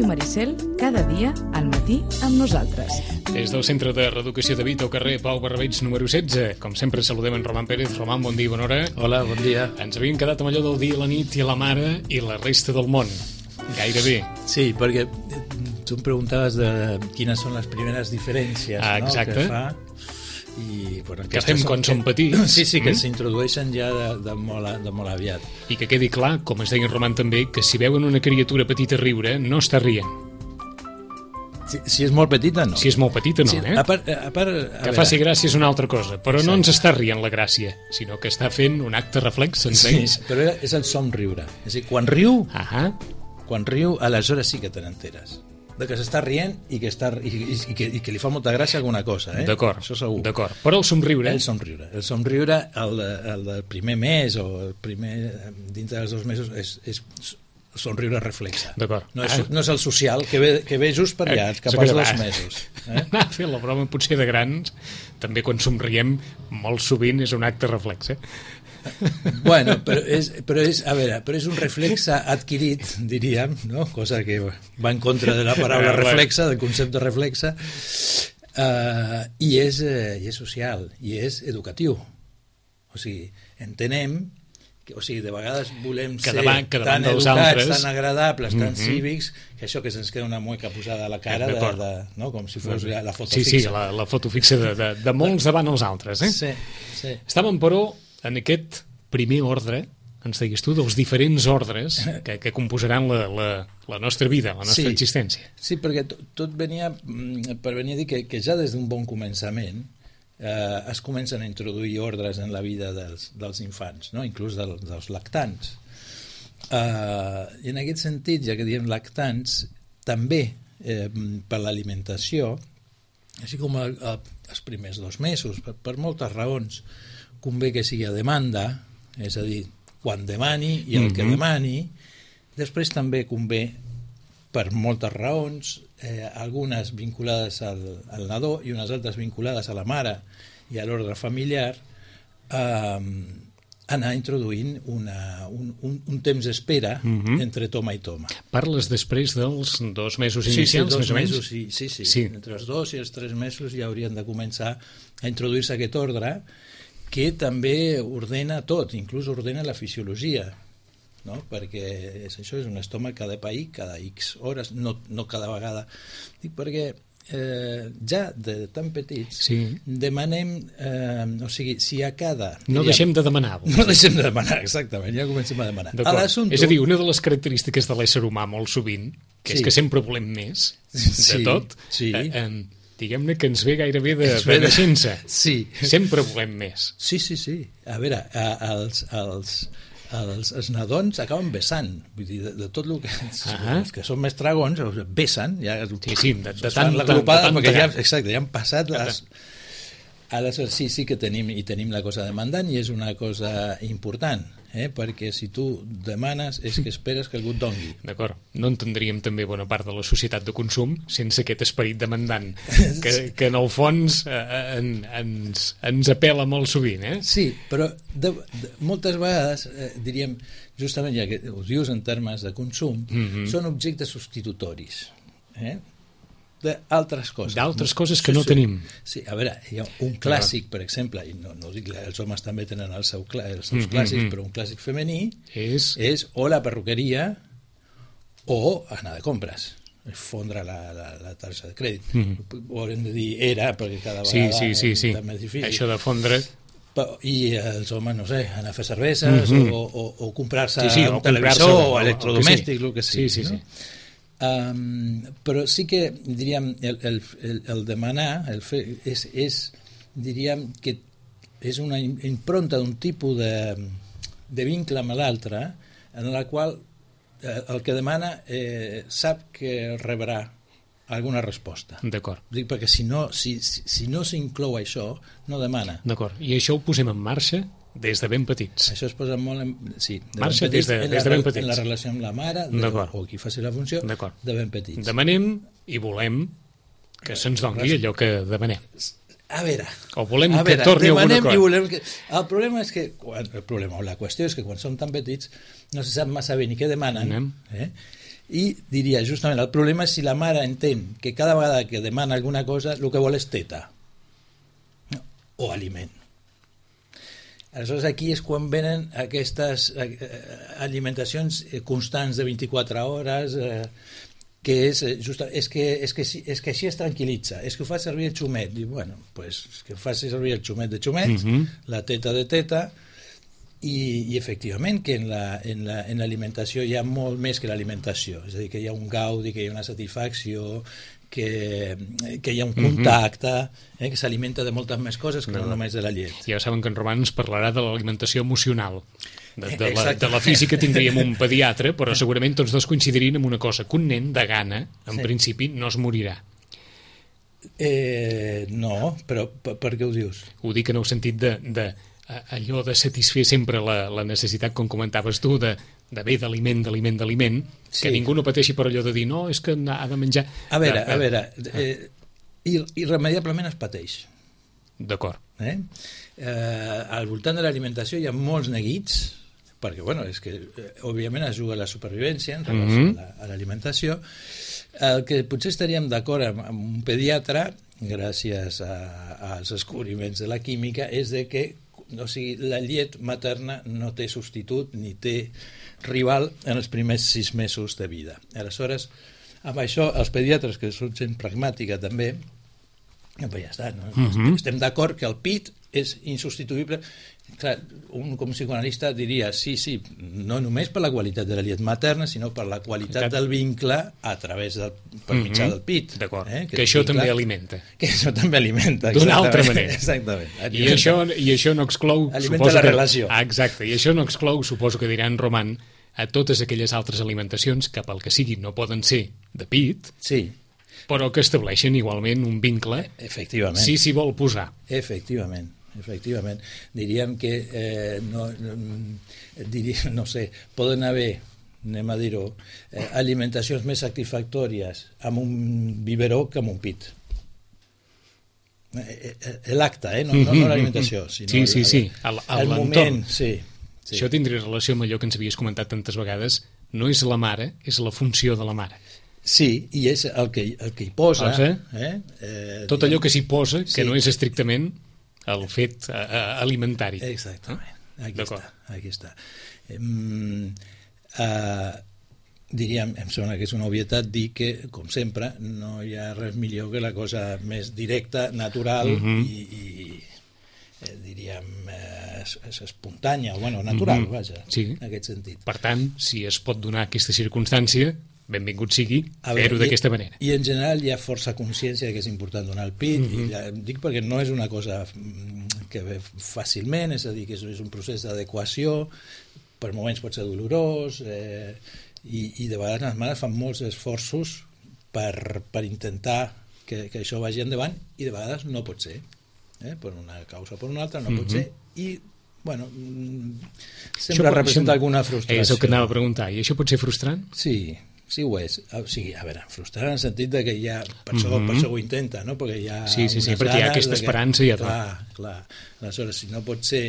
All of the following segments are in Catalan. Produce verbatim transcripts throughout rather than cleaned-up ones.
Maricel, cada dia al matí amb nosaltres. Des del Centre de Reeducació de Vita, al carrer Pau Barbeig número setze. Com sempre, saludem en Roman Pérez. Roman, bon dia, bona hora. Hola, bon dia. Ens havíem quedat amb allò del dia, la nit i la mare i la resta del món. Gairebé. Sí, perquè tu em preguntaves de quines són les primeres diferències, ah, no, que fa. I, bueno, que fem quan som petits. Sí, sí, que mm. s'introdueixen ja de, de, molt, de molt aviat. I que quedi clar, com es deia en Roman també, que si veuen una criatura petita riure, no està rient. Si, si és molt petita, no. Si és molt petita, no, sí, eh? A part, a part, a que veure. faci gràcia és una altra cosa, però Exacte. No ens està rient la gràcia, sinó que està fent un acte reflex en sí, ells. però és el somriure. És a dir, quan riu, Ahà. quan riu, aleshores sí que te n'enteres. De que s'està rient i que, està, i, i, i, que, i que li fa molta gràcia alguna cosa, eh? D'acord, això segur. D'acord. Però el somriure... El somriure. El somriure, el, el del primer mes o el primer, dintre dels dos mesos, és, és somriure reflexa. D'acord. No, és, ah. no és el social, que ve, que ve just per allà, cap als dos mesos. Eh? Anar a fer la broma potser de grans, també quan somriem, molt sovint és un acte reflex, eh? Bueno, però és, però és, a veure, però és un reflexe adquirit, diríem, no? Cosa que va en contra de la paraula reflexa, del concepte reflexe, uh, i, és, uh, i és social, i és educatiu. O sigui, entenem que, o sigui, de vegades volem que ser davant, que davant tan dels educats, altres, tan agradables, tan mm-hmm. cívics, que això que se'ns queda una mueca posada a la cara, de, de, no? Com si fos la foto sí, fixa. Sí, la, la foto fixa de, de, de molts davant els altres, eh? Sí, sí. Estàvem, però, en aquest primer ordre, ens diguis tu, dels diferents ordres que, que composaran la, la, la nostra vida, la nostra sí, existència. Sí, perquè tot, tot venia per venir a dir que, que ja des d'un bon començament eh, es comencen a introduir ordres en la vida dels, dels infants, no? Inclús del, dels lactants. Eh, I en aquest sentit, ja que diem lactants, també eh, per l'alimentació, així com el, el, els primers dos mesos, per, per moltes raons, convé que sigui a demanda, és a dir, quan demani i el mm-hmm. que demani. Després també convé, per moltes raons, eh, algunes vinculades al, al nadó i unes altres vinculades a la mare i a l'ordre familiar, eh, anar introduint una, un, un, un temps d'espera mm-hmm. entre toma i toma. Parles després dels dos mesos inicials, sí, sí, dos més o menys? Mesos, sí, sí, sí. sí. Entre els dos i els tres mesos ja haurien de començar a introduir-se aquest ordre, que també ordena tot, inclús ordena la fisiologia, no? Perquè és, això és un estómac que ha de pair cada X hores, no, no cada vegada. Dic perquè eh, ja de tan petits sí. demanem, eh, o sigui, si a cada... No diríem, deixem de demanar. No deixem de demanar, exactament, ja comencem a demanar. A és a dir, una de les característiques de l'ésser humà molt sovint, que sí. és que sempre volem més de sí, tot, sí. eh, eh, diguem-ne que ens ve gairebé de, de naixença. Sí. Sempre volem més. Sí, sí, sí. A veure, a, els, els, els, els nadons acaben besant. Vull dir, de, de tot el que... Uh-huh. Els que són més dragons, besen. Ja, sí, sí, de, de tant... La glopada, tant, perquè tant, ja, exacte, ja han passat les... Aleshores, sí, sí que tenim, i tenim la cosa demandant, i és una cosa important, eh? Perquè si tu demanes és que esperes que algú et dongui. D'acord. No entendríem també bona part de la societat de consum sense aquest esperit demandant, que, que en el fons eh, en, ens, ens apela molt sovint, eh? Sí, però de, de, moltes vegades, eh, diríem, justament ja que ho dius en termes de consum, mm-hmm. són objectes substitutoris, eh? d'altres coses. D'altres coses que sí, no sí. tenim. Sí, a veure, hi ha un clàssic, per exemple, i no, no dic, els homes també tenen el seu, els seus clàssics, mm-hmm. però un clàssic femení és... és o la perruqueria o anar de compres, fondre la, la, la targeta de crèdit. Mm-hmm. Ho haurem de dir era, perquè cada vegada sí, sí, sí, sí. és més difícil. Això de fondre... I els homes, no sé, anar a fer cerveses mm-hmm. o, o, o comprar-se sí, sí, un o televisor comprar-se, o electrodomèstic, el que sigui. Sí, sí, no? sí. Um, però sí que diríem el, el, el, el demanar el fer, és, és diríem que és una impronta d'un tipus de, de vincle amb l'altre en la qual eh, el que demana eh, sap que rebrà alguna resposta. D'acord. Dic perquè si no si, si, si no s'inclou això, no demana. D'acord. I això ho posem en marxa des de ben petits. Això es posa molt en... Sí, de Marxa ben petits, des de, en des la, de ben petits. En la relació amb la mare, de, o qui faci la funció, de ben petits. Demanem i volem que se'ns doni allò que demanem. A veure... O volem a veure, que torni alguna cosa. I volem que... El problema és que... El problema, o la qüestió és que quan som tan petits no se sap massa bé ni què demanen. Eh? I diria, justament, el problema és si la mare entén que cada vegada que demana alguna cosa el que vol és teta o aliment. Aleshores, aquí és quan venen aquestes alimentacions constants de vint-i-quatre hores, eh, que és, just, és, que, és, que, és que així es tranquil·litza, és que ho fa servir el xumet. Diu, bueno, pues, que ho faci servir el xumet de xumet, uh-huh. la teta de teta, i, i efectivament que en la, en la, en l'alimentació hi ha molt més que l'alimentació, és a dir, que hi ha un gaudi, que hi ha una satisfacció, que, que hi ha un contacte, eh, que s'alimenta de moltes més coses que no, no només de la llet. Ja saben que en Roman ens parlarà de l'alimentació emocional. De, de, la, de la física tindríem un pediatre, però segurament tots dos coincidirien en una cosa, que un nen de gana, en sí. principi, no es morirà. Eh, no, però per, per què ho dius? Ho dic en el sentit de, de allò de satisfer sempre la, la necessitat, com comentaves tu, de, de bé d'aliment, d'aliment, d'aliment, sí. que ningú no pateixi per allò de dir no, és que ha de menjar... A veure, a veure, eh, irremediablement es pateix. D'acord. Eh? Eh, al voltant de l'alimentació hi ha molts neguits, perquè, bueno, és que, eh, òbviament, es juga la supervivència en relació mm-hmm. a l'alimentació. El que potser estaríem d'acord amb, amb un pediatre, gràcies a, als descobriments de la química, és de que o sigui, la llet materna no té substitut ni té rival en els primers sis mesos de vida. Aleshores, amb això, els pediatres, que són gent pragmàtica també, ja està, no? Mm-hmm. Estem d'acord que el pit és insubstituïble. Clar, un com psicoanalista diria sí, sí, no només per la qualitat de la llet materna, sinó per la qualitat del vincle a través del, per mitjà mm-hmm. del pit. D'acord, eh? que, que això vincle, també alimenta. Que això també alimenta. D'una altra manera. Exactament. I això, I això no exclou... Alimenta la que, relació. Ah, exacte, i això no exclou, suposo que diran Roman, a totes aquelles altres alimentacions que pel que sigui no poden ser de pit, sí. però que estableixen igualment un vincle. Efectivament. Si s'hi vol posar. Efectivament. Efectivament, diríem que eh, no, no, diríem, no sé, poden haver, anem a dir-ho, eh, alimentacions més satisfactòries amb un biberó que amb un pit. Eh, eh, l'acte, eh? no, no, no l'alimentació, sinó sí, sí, sí. El, el, el moment. Sí, sí. Això tindria relació amb allò que ens havies comentat tantes vegades, no és la mare, és la funció de la mare. Sí, i és el que, el que hi posa. Eh? Eh? Eh, Tot allò que s'hi posa, que sí. no és estrictament el fet uh, alimentari. Exactament, aquí està, aquí està. Um, uh, diríem, em sembla que és una obvietat dir que, com sempre, no hi ha res millor que la cosa més directa, natural mm-hmm. i, i eh, diríem eh, és, és espontània, o bueno, natural, mm-hmm. vaja, sí. en aquest sentit. Per tant, si es pot donar aquesta circumstància, benvingut sigui fer-ho d'aquesta manera. I en general hi ha força consciència que és important donar el pit, mm-hmm. i ja, dic perquè no és una cosa que ve fàcilment, és a dir, que és, és un procés d'adequació, per moments pot ser dolorós, eh, i, i de vegades les mares fan molts esforços per, per intentar que, que això vagi endavant, i de vegades no pot ser, eh, per una causa o per una altra no mm-hmm. pot ser, i bueno, sempre això representa això, alguna frustració. És el que anava a preguntar, i això pot ser frustrant? Sí, sí ho és. O sigui, a veure, frustrant en el sentit de que hi ha, per, mm-hmm. això, per això ho intenta, no? Perquè hi ha sí, sí, sí, perquè hi ha aquesta esperança i ja tot. Clar, clar. Aleshores, si no pot ser,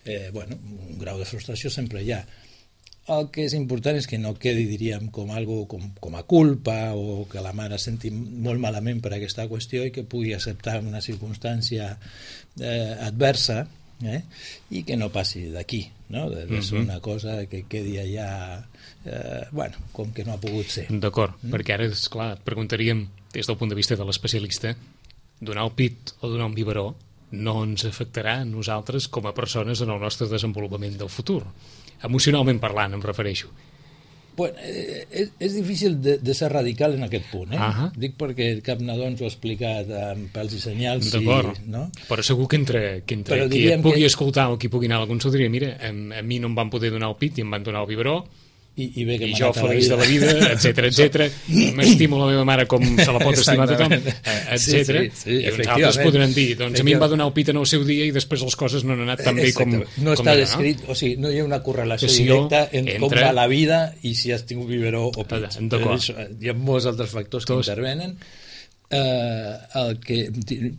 eh, bueno, un grau de frustració sempre hi ha. El que és important és que no quedi, diríem, com algo com, com a culpa, o que la mare senti molt malament per aquesta qüestió i que pugui acceptar una circumstància eh, adversa, eh? I que no passi d'aquí, no? De, de ser mm-hmm. una cosa que quedi allà eh, bueno, com que no ha pogut ser. D'acord, mm? perquè ara, esclar, et preguntaríem des del punt de vista de l'especialista, donar el pit o donar un biberó no ens afectarà a nosaltres com a persones en el nostre desenvolupament del futur, emocionalment parlant em refereixo. Bueno, eh, és, és difícil de, de ser radical en aquest punt, eh? Uh-huh. Dic perquè cap nadó ens ho ha explicat amb pèls i senyals. D'acord, i, no? Però segur que entre, que entre qui et pugui que... escoltar o qui pugui anar a la consulta diria, mira, a, a mi no em van poder donar el pit i em van donar el biberó I, i, bé que I m'ha jo anat a la feliç vida. de la vida, etcètera, etcètera, i m'estimo la meva mare com se la pot estimar tothom, etcètera. Sí, sí, sí, I uns altres podran dir, doncs a mi em va donar el pit en el seu dia i després les coses no han anat tan bé com, no com està era, descrit, no? O sigui, no hi ha una correlació Que si directa en entre... com va la vida i si has tingut biberó o pit. D'acord. Hi ha molts altres factors que Tots. intervenen. Eh, el que,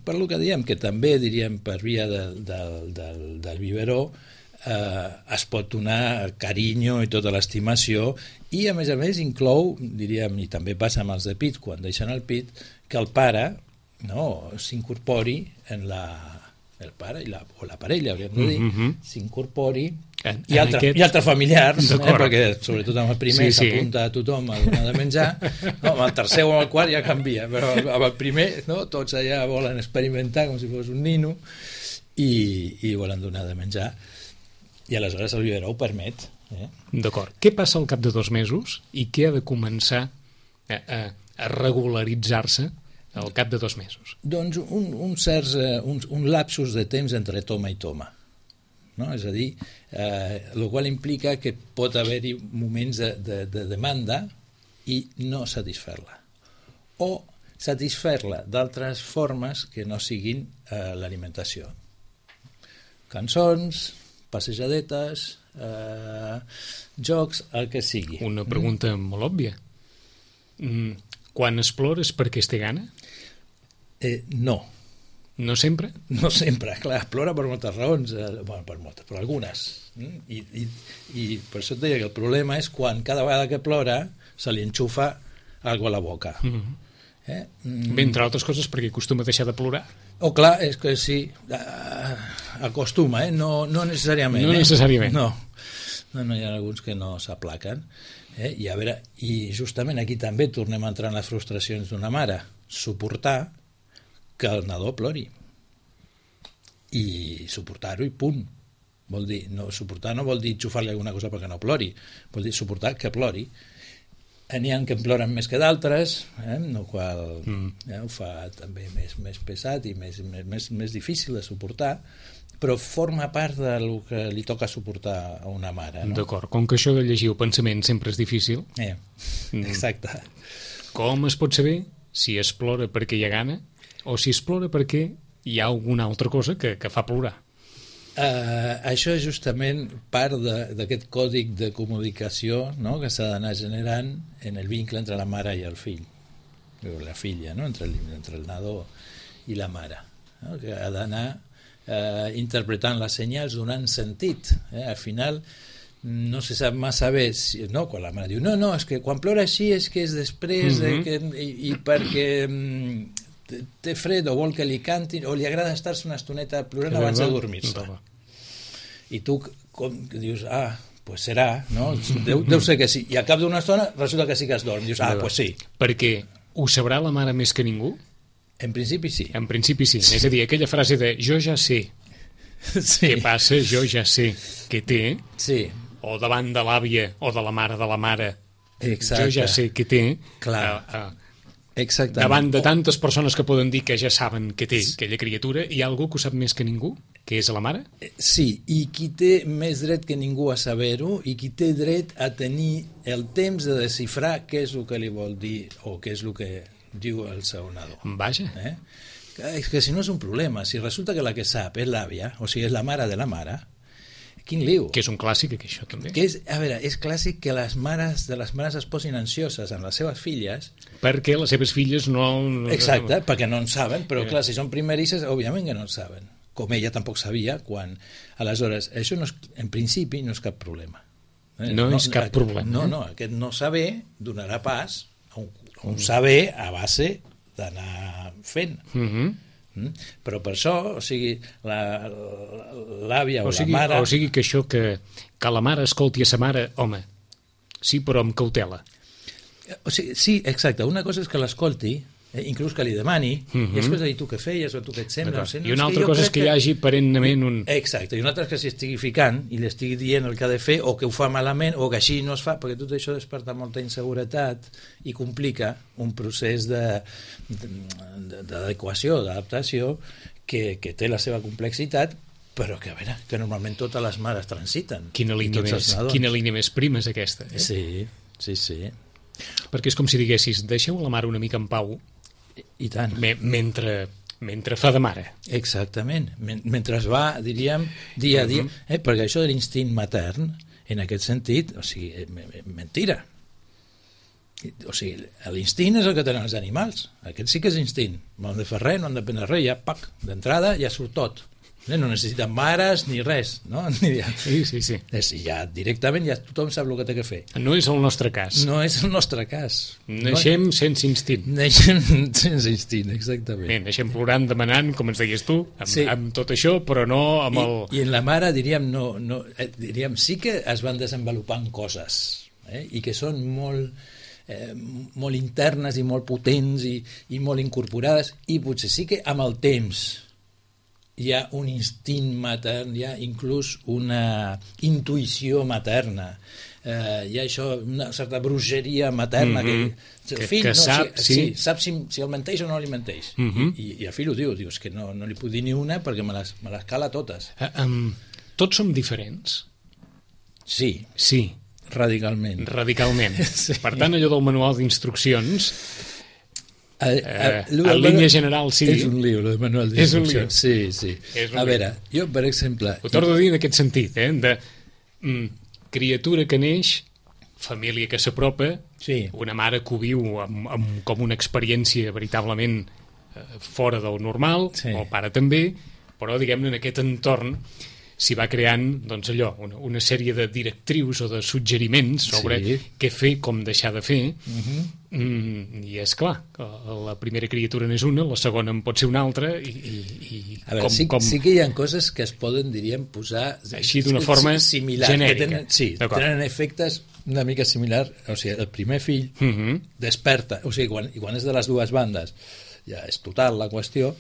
per lo que diem, que també diríem per via del, del, del, del biberó, eh, es pot donar carinyo i tota l'estimació, i a més a més inclou, diríem, i també passa amb els de pit quan deixen el pit, que el pare, no, s'incorpori en la el pare i la, o la parella, hauríem de dir, mm -hmm. s'incorpori en, i, altre, aquest... i altres familiars, eh, perquè sobretot amb el primer sí, s'apunta sí. a tothom a donar de menjar, no, amb el tercer o amb el quart ja canvia, però amb el primer, no, tots allà volen experimentar com si fos un nino i, i volen donar de menjar, i aleshores el biberó ho permet. Eh? D'acord. Què passa al cap de dos mesos i què ha de començar a, a, a regularitzar-se al cap de dos mesos? Doncs un, un, certs, uh, un, un lapsus de temps entre toma i toma. No? És a dir, eh, el qual implica que pot haver-hi moments de, de, de demanda i no satisfer-la. O satisfer-la d'altres formes que no siguin eh, l'alimentació. Cançons, passejadetes, eh, jocs, el que sigui. Una pregunta mm. molt òbvia. Mm, quan es plora és perquè es té gana? Eh, no. No sempre? No sempre, clar, plora per moltes raons, eh, bueno, per moltes, per algunes. Mm? I, i, I per això et deia que el problema és quan cada vegada que plora se li enxufa algo a la boca. Mm -hmm. eh? mm. Bé, entre altres coses perquè acostuma a deixar de plorar. Oh, clar, és que sí, uh, acostuma, eh? no, no necessàriament. No eh? necessàriament. No. no, no hi ha alguns que no s'aplaquen. Eh? I a veure, i justament aquí també tornem a entrar en les frustracions d'una mare. Suportar que el nadó plori. I suportar-ho i punt. Vol dir, no, suportar no vol dir enxufar-li alguna cosa perquè no plori, vol dir suportar que plori. N'hi ha que en ploren més que d'altres, eh? el qual mm. eh, ho fa també més, més pesat i més, més, més difícil de suportar, però forma part del que li toca suportar a una mare. No? D'acord, com que això de llegir el pensament sempre és difícil... Eh, exacte. Com es pot saber si es plora perquè hi ha gana o si es plora perquè hi ha alguna altra cosa que, que fa plorar? Uh, això és justament part d'aquest còdic de comunicació, no?, que s'ha d'anar generant en el vincle entre la mare i el fill, o la filla, no?, entre el, entre el nadó i la mare, no?, que ha d'anar uh, interpretant les senyals, donant sentit. Eh? Al final no se sap massa bé si, no, quan la mare diu no, no, és que quan plora així és que és després mm-hmm. de que, i, i perquè um, té fred o vol que li cantin o li agrada estar-se una estoneta plorant abans de dormir-se. I tu com, dius, ah, pues serà, no? Deu, deu ser que sí. I al cap d'una estona resulta que sí que es dorm. Dius, ah, pues sí. Perquè ho sabrà la mare més que ningú? En principi sí. En principi sí. sí. És a dir, aquella frase de jo ja sé sí. què passa, jo ja sé què té, sí. o davant de l'àvia o de la mare de la mare, exacte. Jo ja sé què té. Clar. Uh, uh, Exactament. Davant de tantes persones que poden dir que ja saben què té aquella criatura, hi ha algú que ho sap més que ningú, que és la mare? Sí, i qui té més dret que ningú a saber-ho i qui té dret a tenir el temps de desxifrar què és el que li vol dir o què és el que diu el seu nadó. Vaja. Eh? És que si no és un problema, si resulta que la que sap és l'àvia, o sigui, és la mare de la mare, quin liu. Que és un clàssic, que això també. Que és, a veure, és clàssic que les mares de les mares es posin ansioses amb les seves filles perquè les seves filles no... Exacte, no... perquè no en saben, però clar, si són primerisses, òbviament que no en saben. Com ella tampoc sabia quan... Aleshores, això no és, en principi no és cap problema. Eh? No, no és cap aquest, problema. No, no, aquest no saber donarà pas a un, a un saber a base d'anar fent. Mhm. Mm? Però per això, o sigui, l'àvia o, o, o sigui, la mare... O sigui que això que, que la mare escolti a sa mare, home, sí, però amb cautela. O sigui, sí, exacte. Una cosa és que l'escolti, eh, inclús que li demani, uh -huh. i després dir tu què feies o tu què et sembla. No sé, no, I una altra cosa és que, que hi hagi perennament un... Exacte, i una altra és que s'hi estigui ficant i li estigui dient el que ha de fer o que ho fa malament o que així no es fa, perquè tot això desperta molta inseguretat i complica un procés d'adequació, d'adaptació que, que té la seva complexitat, però que a veure, que normalment totes les mares transiten. Quina línia, més, quina línia més prima és aquesta, eh? Sí, sí, sí. Perquè és com si diguessis, deixeu la mare una mica en pau, i tant. Me, mentre, mentre fa de mare. Exactament. Mentre es va, diríem, dia a dia, uh-huh. eh? Perquè això de l'instint matern, en aquest sentit, o sigui, mentira. O sigui, l'instint és el que tenen els animals. Aquest sí que és instint. No han de fer res, no han de prendre res, ja, pac, d'entrada ja surt tot. No necessiten mares ni res, no? Sí, sí, sí. Ja directament ja tothom sap el que té que fer. No és el nostre cas. No és el nostre cas. Naixem no... sense instint. Naixem sense instint, exactament. Bé, naixem plorant, demanant, com ens deies tu, amb, sí. amb tot això, però no amb I, el... I en la mare, diríem, no, no, eh, diríem, sí que es van desenvolupant coses, eh? I que són molt... Eh, molt internes i molt potents i, i molt incorporades, i potser sí que amb el temps hi ha un instint matern, hi ha inclús una intuïció materna, eh, hi ha això, una certa bruixeria materna, mm-hmm. que el fill que, que no, sap, si, sí. Sí, sap si, si el menteix o no li menteix, mm-hmm. I, i el fill ho diu, dius que no, no li puc dir ni una perquè me les, me les cala totes. Uh, um, tots som diferents? Sí. Sí. Radicalment. Radicalment. Sí. Per tant, allò del manual d'instruccions, a, a, eh, en línia general, sí. És un llibre, el manual d'instruccions. Sí, sí. A veure, jo, per exemple... Ho torno a dir en aquest sentit, eh? De mm, criatura que neix, família que s'apropa, sí. Una mare que ho viu amb, amb, com una experiència veritablement eh, fora del normal, sí. El pare també, però, diguem-ne, en aquest entorn s'hi va creant, doncs allò, una, una sèrie de directrius o de suggeriments sobre sí. Què fer, com deixar de fer, uh-huh. mm, i és clar, la primera criatura n'és una, la segona en pot ser una altra, i, i, i a veure, com, sí, com... sí que hi ha coses que es poden, diríem, posar... Així d'una forma similar, genèrica. Tenen, sí, tenen efectes una mica similar, o sigui, el primer fill uh-huh. desperta, o sigui, quan, quan és de les dues bandes, ja és total la qüestió,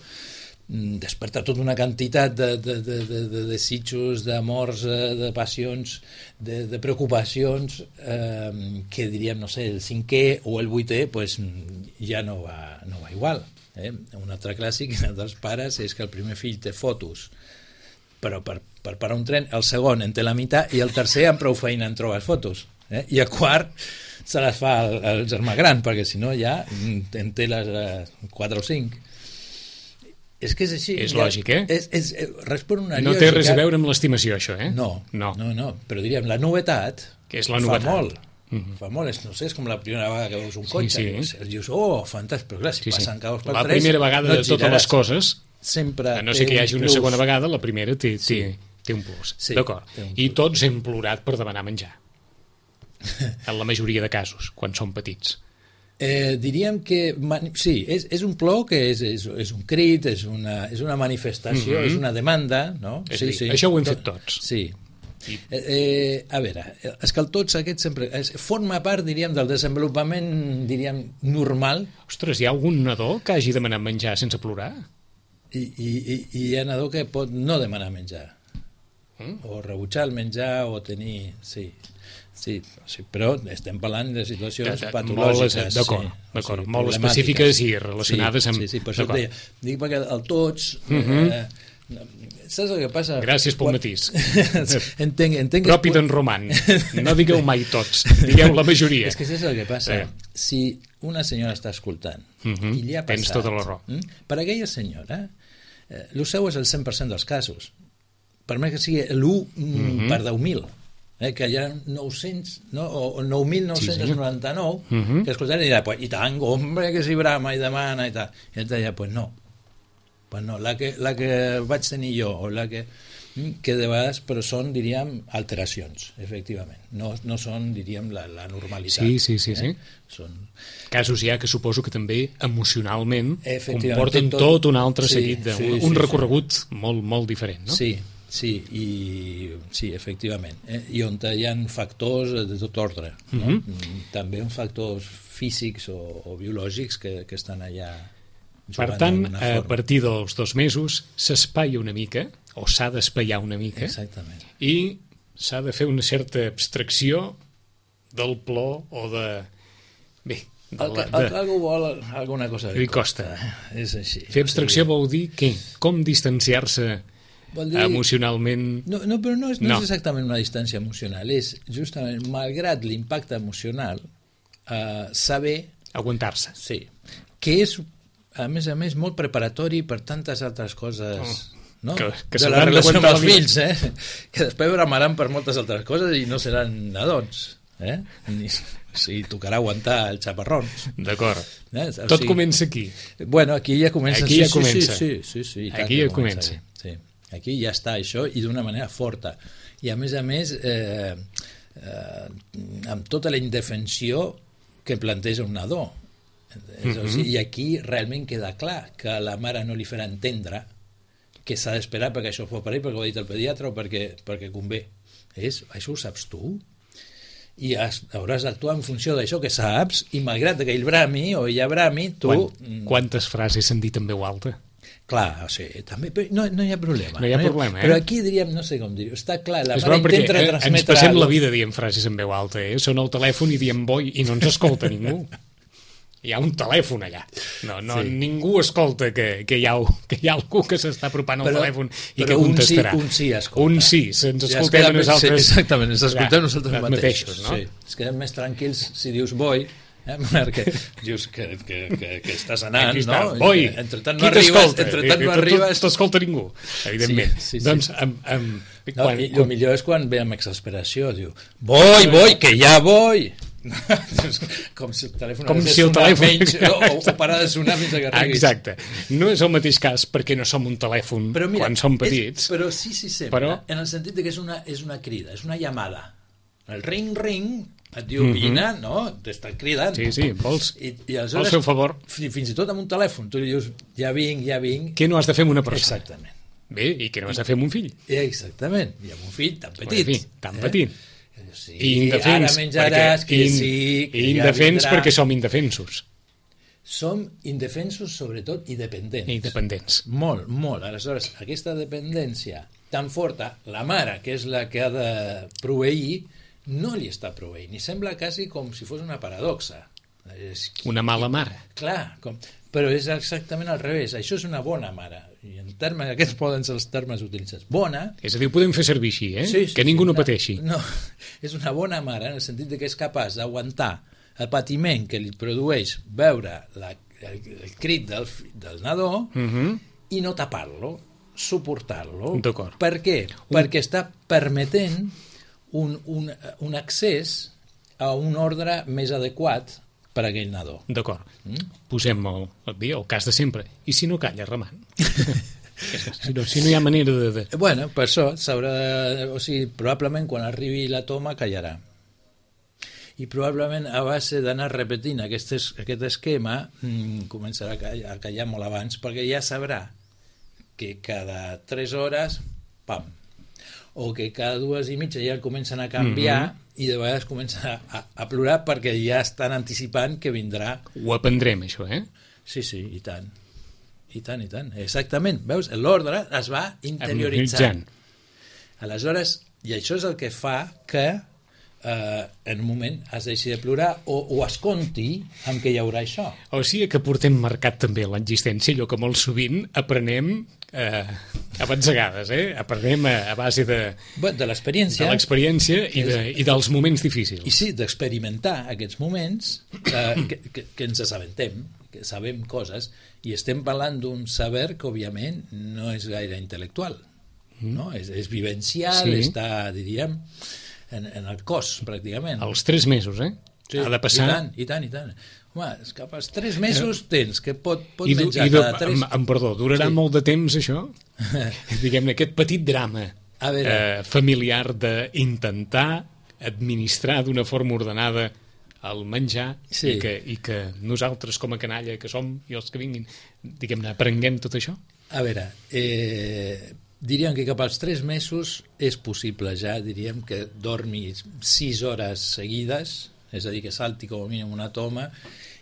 desperta tota una quantitat de, de, de, de, de desitjos, d'amors, de passions, de, de preocupacions, eh, que diríem, no sé, el cinquè o el vuitè pues, ja no va, no va igual. Eh? Un altre clàssic dels pares és que el primer fill té fotos, però per, per parar un tren, el segon en té la meitat i el tercer amb prou feina en trobar fotos. Eh? I el quart se les fa el, el germà gran, perquè si no ja en té les eh, quatre o cinc. És que és així. És lògic, eh? És, és, és, respon una no té res a veure amb l'estimació, això, eh? No, no, no, no, però diríem, la novetat, que és la novetat. Fa molt. Mm-hmm. Fa molt, és, no sé, és com la primera vegada que veus un cotxe. Sí, sí. Dius, oh, fantàstic, però clar, si sí, passen caos per la tres... La primera vegada no de totes les coses, sempre a no sé que hi hagi una plus. Segona vegada, la primera té, té, sí. té un plus. Sí, d'acord. I tots hem plorat per demanar menjar. En la majoria de casos, quan som petits. Eh, diríem que sí, és, és un plor que és, és, és un crit, és una, és una manifestació, mm-hmm. és una demanda, no? És sí, dir, sí. Això ho hem fet tots. Sí. I... Eh, eh, a veure, és que el tots aquest sempre és, forma part, diríem, del desenvolupament, diríem, normal. Ostres, hi ha algun nadó que hagi demanat menjar sense plorar? I, i, i hi ha nadó que pot no demanar menjar. Mm? O rebutjar el menjar o tenir... Sí. Sí, sí, però estem parlant de situacions de, de, patològiques. D'acord, sí, d'acord, sí, molt específiques i relacionades sí, amb... Sí, sí, per això et deia. Dic perquè el tots... Uh-huh. Eh, saps el que passa? Gràcies pel matís. entenc, entenc Propi d'en Roman. No digueu mai tots, digueu la majoria. És que saps el que passa? Eh. Si una senyora està escoltant uh-huh. i li ha passat... Tens tota la raó. Mm, per aquella senyora, eh, el seu és el cent per cent dels casos. Per més que sigui l'u uh-huh. per deu mil. Eh, que hi ha nou-cents, no? o nou mil nou-cents noranta-nou, sí, sí. uh-huh. que escoltaran i diran, pues, i tant, hombre, que si brama i demana i tal. I ell deia, pues no, pues no, la que, la que vaig tenir jo, o la que, que de vegades, però són, diríem, alteracions, efectivament. No, no són, diríem, la, la normalitat. Sí, sí, sí. Eh? sí. Són... Casos ja que suposo que també emocionalment comporten tot, tot un altre sí, seguit, de, sí, un, sí, un sí, recorregut sí. molt, molt diferent, no? Sí, sí, i, sí, efectivament. Eh? I on hi ha factors de tot ordre. No? Mm-hmm. També uns factors físics o, o biològics que, que estan allà jugant. Per tant, a partir dels dos mesos s'espaia una mica, o s'ha d'espaiar una mica, exactament. I s'ha de fer una certa abstracció del plor o de... Bé, de el que, la, de... el que algú vol, alguna cosa li costa. És així. Fer abstracció vol dir què? Com distanciar-se Vol dir... emocionalment... No, no però no és, no, No. és exactament una distància emocional, és justament, malgrat l'impacte emocional, eh, saber, Aguantar-se. sí, que és, a més a més, molt preparatori per tantes altres coses... Oh. No? Que- que de la s'hauran relació amb d'aguantar els la fills, eh? Que després bramaran per moltes altres coses i no seran nadons, eh? Ni, sí, tocarà aguantar els xaparrons. D'acord. Eh? O Tot sigui, comença aquí. Bueno, aquí ja comença. Aquí sí, ja sí, comença. Sí, sí, sí, sí, i tant Aquí que ja comença. Sí. Aquí ja està això i d'una manera forta. I a més a més, eh, eh, amb tota la indefensió que planteja un nadó. Mm -hmm. O sigui, I aquí realment queda clar que la mare no li farà entendre que s'ha d'esperar perquè això fos per ell, perquè ho ha dit el pediatre o perquè, perquè convé. És, això ho saps tu? I has, hauràs d'actuar en funció d'això que saps, i malgrat que ell brami o ella brami, tu... Quan, quantes frases s'han dit en veu alta? Clar, o sigui, també, però no, no hi ha problema. No hi ha problema, eh? Però aquí diríem, no sé com dir-ho, està clar, la És mare bo perquè intenta eh, ens transmetre... passem la algo. vida dient frases en veu alta, eh? Són al telèfon i diem boi i no ens escolta ningú. Hi ha un telèfon allà. No, no, Sí. ningú escolta que, que, hi ha, que hi ha algú que s'està apropant al Però- telèfon i però que un sí- contestarà. un sí escolta. Un sí, se'ns Ja es escoltem queda a més- nosaltres. sí, exactament, ens escoltem Ja, nosaltres els mateixos. no? Sí. Es queden més tranquils si dius boi, eh? Perquè dius que, que, que, que estàs anant, Aquí està, no? boi, I entre tant qui no arribes, t'escolta? entre tant no I- i- arribes... T'escolta ningú, evidentment. Sí, sí, sí. Doncs, amb, amb, No, quan, I el millor és quan ve amb exasperació, diu, boi, boi, que ja boi! Com si el telèfon Com hagués de si el sonar telèfon- menys, o, o parar de sonar fins que arribis. Exacte. No és el mateix cas perquè no som un telèfon Però mira, quan som petits. És, però sí, sí, sempre, Però- en el sentit de que és una, és una crida, és una llamada. El ring-ring et diu, Mhm. vine, no? T'estan cridant. Sí, sí, vols, I, i vols aleshores, fer un favor? fi- fins i tot amb un telèfon, tu li dius, ja vinc, ja vinc. Què no has de fer amb una persona? Exactament. Bé, i què no has de fer amb un fill? Exactament. I amb un fill tan petit. En fi, tan petit. Sí, I indefens. ara menjaràs, perquè- que in- sí, que i ja indefens vindrà. perquè som indefensos Som indefensos, sobretot, i dependents. i independents. Molt, molt. Aleshores, aquesta dependència tan forta, la mare, que és la que ha de proveir, no li està proveint. I sembla quasi com si fos una paradoxa. És... Una mala mare. Clar, com... però és exactament al revés. Això és una bona mare. I en termes, aquests poden ser els termes utilitzats. Bona... És a dir, ho podem fer servir així, eh? Sí, sí, que ningú sí, no pateixi. No, és una bona mare en el sentit de que és capaç d'aguantar el patiment que li produeix veure la, el, el crit del, fi- del nadó Mhm. i no tapar-lo, suportar-lo. D'acord. Per què? Perquè està permetent un, un, un accés a un ordre més adequat per a aquell nadó. D'acord. Mm? Posem el, el, bé, el cas de sempre. I si no calla, remant? si, no, si no hi ha manera de... de... Bueno, per això s'haurà de... O sigui, probablement quan arribi la toma callarà. I probablement a base d'anar repetint aquest, es, aquest esquema mmm, començarà a callar, a callar molt abans, perquè ja sabrà que cada tres hores, pam, o que cada dues i mitja ja el comencen a canviar mm -hmm. i de vegades comencen a, a, a plorar perquè ja estan anticipant que vindrà. Ho aprendrem, això, eh? Sí, sí, i tant. I tant, i tant. Exactament. Veus? L'ordre es va interioritzant. Aleshores, i això és el que fa que eh, en un moment has de deixar de plorar o, o es compti amb què hi haurà això. O sigui que portem marcat també l'existència, allò que molt sovint aprenem eh, a batzegades, eh? Aprenem a, a base de, Bé, de l'experiència. de l'experiència i, de, i dels moments difícils. I sí, d'experimentar aquests moments eh, que, que, que ens assabentem, que sabem coses, i estem parlant d'un saber que, òbviament, no és gaire intel·lectual, no? És, és vivencial, Sí. està, diríem, en, en el cos, pràcticament. Els tres mesos, eh? Sí, ha de passar... I tant, i tant, i tant. Home, és cap als tres mesos tens que pot, pot I, du, menjar i du, cada tres... amb, amb perdó, durarà Sí. molt de temps, això? Diguem-ne, aquest petit drama A veure. eh, familiar d'intentar administrar d'una forma ordenada el menjar Sí. i, que, i que nosaltres com a canalla que som i els que vinguin, diguem-ne, aprenguem tot això? A veure, eh, diríem que cap als tres mesos és possible ja, diríem que dormi sis hores seguides, és a dir, que salti com a mínim una toma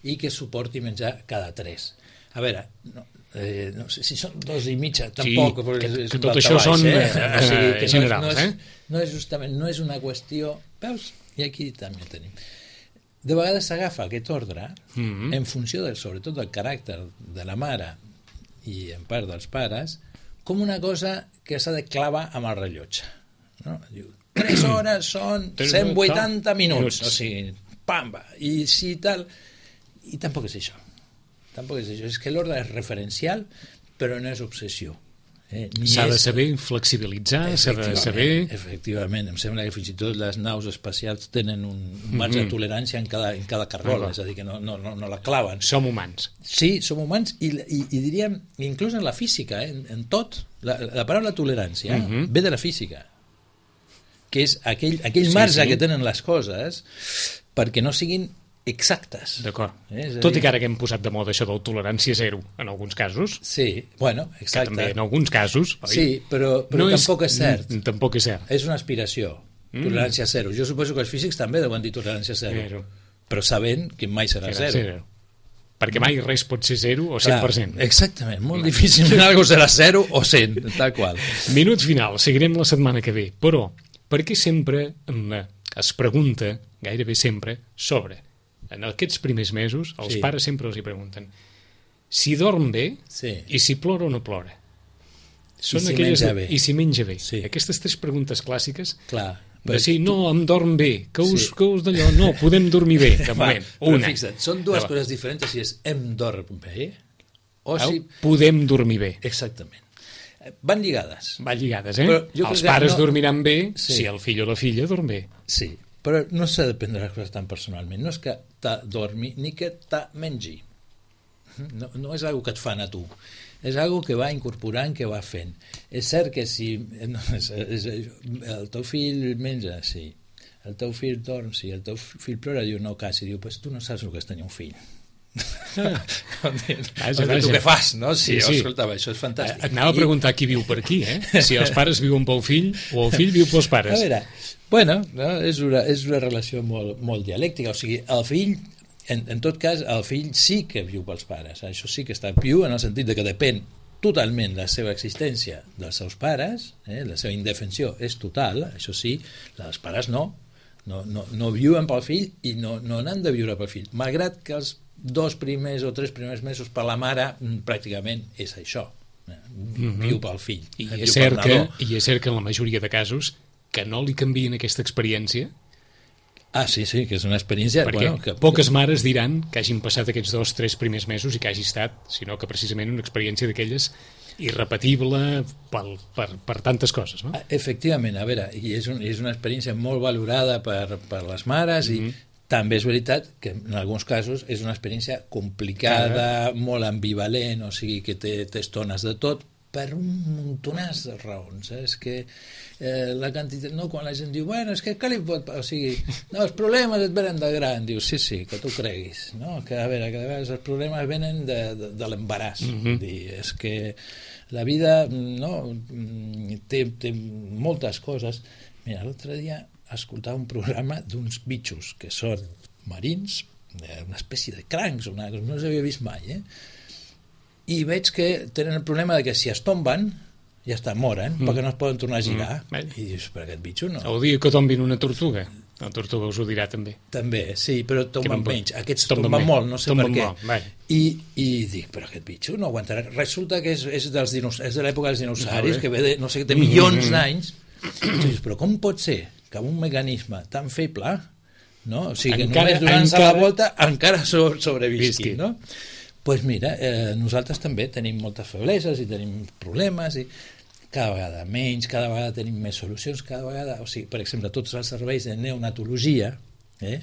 i que suporti menjar cada tres. A veure, no, eh, no sé si són dos i mitja, tampoc, que- és, és que un tot daltabaix, això són, eh? eh, O sigui, que no és- generals, no és, eh? No és justament, no és una qüestió... Veus? I aquí també tenim. De vegades s'agafa aquest ordre Mhm. en funció, del, sobretot, del caràcter de la mare i en part dels pares, com una cosa que s'ha de clavar amb el rellotge. No? Diu, tres hores són cent vuitanta minuts. O sigui, pam, va. I si tal... I tampoc és això. Tampoc és això. És que l'ordre és referencial, però no és obsessió. Eh, s'ha de és... saber flexibilitzar, s'ha de saber... Efectivament, em sembla que fins i tot les naus espacials tenen un marge mm-hmm. de tolerància en cada, en cada cargola, ah, és a dir, que no, no, no, no la claven. Som humans. Sí, som humans, i, i, i diríem, inclús en la física, eh, en, en tot, la, la paraula tolerància mm-hmm. ve de la física, que és aquell, aquell marge sí, sí. que tenen les coses perquè no siguin exactes. D'acord. Eh? Tot i que ara que hem posat de moda això del tolerància zero, en alguns casos. Sí, bueno, exacte. Que també en alguns casos, oi? Sí, però, però no tampoc és, és cert. N- tampoc és cert. És una aspiració. Mm. Tolerància zero. Jo suposo que els físics també deuen dir tolerància zero. Zero. Però sabent que mai serà zero. zero. Perquè mai res pot ser zero o cent per cent. Clar, exactament. Molt no. difícilment algo serà zero o cent, tal qual. Minut final. Seguirem la setmana que ve. Però, per què sempre es pregunta, gairebé sempre, sobre... En aquests primers mesos, els sí. pares sempre els hi pregunten si dorm bé sí. i si plora o no plora. Són I si aquelles... menja bé. I si menja bé. Sí. Aquestes tres preguntes clàssiques Clar, de si no, em dorm bé, que us, sí. que us d'allò, no, podem dormir bé, de moment. Va, Una. Fixa't, són dues Va. coses diferents, si és em dorm bé o si... Podem dormir bé. Exactament. Van lligades. Van lligades, eh? Els pares no... dormiran bé sí. si el fill o la filla dorm bé. Sí. Però no s'ha de prendre les coses tan personalment. No és que t'ha dormi ni que t'ha mengi. No, no és algo que et fan a tu. És algo que va incorporant, que va fent. És cert que si no, és, és, el teu fill menja, sí. El teu fill dorm, sí. El teu fill plora, diu no quasi. Diu, pues tu no saps el que és tenir un fill. vaja, vaja. Tu què fas, no? Sí, sí, sí. Escolta, això és fantàstic. Et anava a preguntar qui viu per aquí, eh? Si els pares viuen pel fill o el fill viu pels pares. A veure, bueno, no? és, una, és una relació molt, molt dialèctica, o sigui, el fill, en, en tot cas, el fill sí que viu pels pares, això sí que està viu en el sentit de que depèn totalment la seva existència dels seus pares, eh? La seva indefensió és total, això sí, els pares no, no, no, no viuen pel fill i no, no n'han de viure pel fill, malgrat que els dos primers o tres primers mesos per la mare pràcticament és això, mm-hmm. viu pel fill. I és, cert que, I és cert que en la majoria de casos que no li canvien aquesta experiència. Ah, sí, sí, que és una experiència... Perquè bueno, que... poques mares diran que hagin passat aquests dos, tres primers mesos i que hagi estat, sinó que precisament una experiència d'aquelles irrepetible per, per, per tantes coses, no? Efectivament, a veure, i és, un, és una experiència molt valorada per, per les mares i mm-hmm. també és veritat que en alguns casos és una experiència complicada, molt ambivalent, o sigui que té, té estones de tot, per un muntonàs de raons. Eh? És que eh, la quantitat... No, quan la gent diu, bueno, és que què li pot... O sigui, no, els problemes et venen de gran. Diu, sí, sí, que tu creguis. No? Que, a veure, que a vegades els problemes venen de, de, de l'embaràs. Mm-hmm. Dir, és que la vida no, té, té moltes coses. Mira, l'altre dia escoltar un programa d'uns bitxos que són marins, una espècie de crancs, una, no els havia vist mai, eh? I veig que tenen el problema de que si es tomben, ja està, moren, mm. perquè no es poden tornar a girar. Mm. I dius, per aquest bitxo no. El dia que tombin una tortuga, la tortuga us ho dirà també. També, sí, però tomben menys. Aquests tomben, tomben molt, no sé tomben per què. I, I dic, però aquest bitxo no aguantarà. Resulta que és, és, dels dinos, és de l'època dels dinosauris, que ve de, no sé, de milions mm. d'anys. I dius, però com pot ser que amb un mecanisme tan feble, no? O sigui, que encara, només durant la volta encara sobrevisqui, no? Doncs pues mira, eh, nosaltres també tenim moltes febleses i tenim problemes i cada vegada menys, cada vegada tenim més solucions, cada vegada, o sigui, per exemple, tots els serveis de neonatologia eh,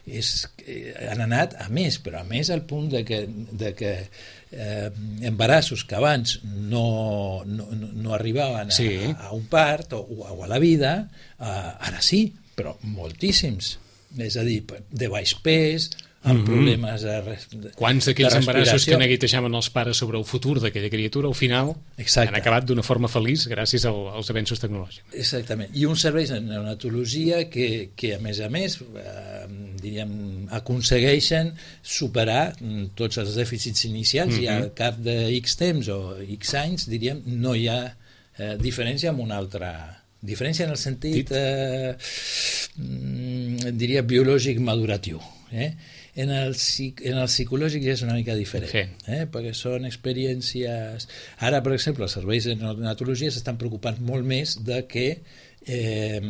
és, eh, han anat a més, però a més al punt de que, de que eh, embarassos que abans no, no, no arribaven a, sí. a, a un part o, o a la vida, eh, ara sí, però moltíssims. És a dir, de baix pes, amb mm-hmm. problemes de, de quants d'aquells embarassos que neguitejaven els pares sobre el futur d'aquella criatura, al final Exacte. Han acabat d'una forma feliç gràcies al, als avenços tecnològics. Exactament, i uns serveis de neonatologia que, que a més a més eh, diríem, aconsegueixen superar tots els dèficits inicials mm-hmm. i al cap de X temps o X anys, diríem, no hi ha eh, diferència amb una altra... Diferència en el sentit, eh, diria, biològic maduratiu. Eh? En el, en el psicològic ja és una mica diferent, sí. eh? Perquè són experiències... Ara, per exemple, els serveis de neonatologia s'estan preocupant molt més de que eh,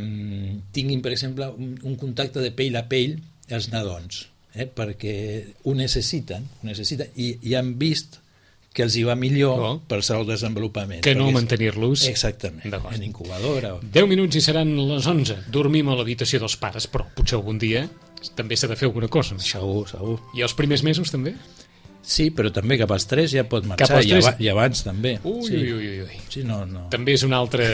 tinguin, per exemple, un, un contacte de pell a pell els nadons, eh? Perquè ho necessiten, ho necessiten i, i han vist que els hi va millor oh. per al desenvolupament. Que no perquè... mantenir-los... Exactament, en incubadora. deu minuts i seran les onze. Dormim a l'habitació dels pares, però potser algun dia també s'ha de fer alguna cosa. Segur, segur. I els primers mesos també? Sí, però també cap als tres ja pot marxar, i, ab i abans també. Ui, sí. ui, ui, ui. Sí, no, no. També és un altre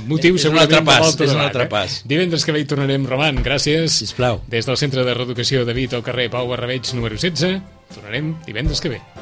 motiu, és un altre pas, és un altre eh? pas. Divendres que ve hi tornarem, Roman, gràcies. Sisplau. Des del Centre de Reeducació de Vic al carrer Pau Barrabeig número setze, tornarem divendres que ve.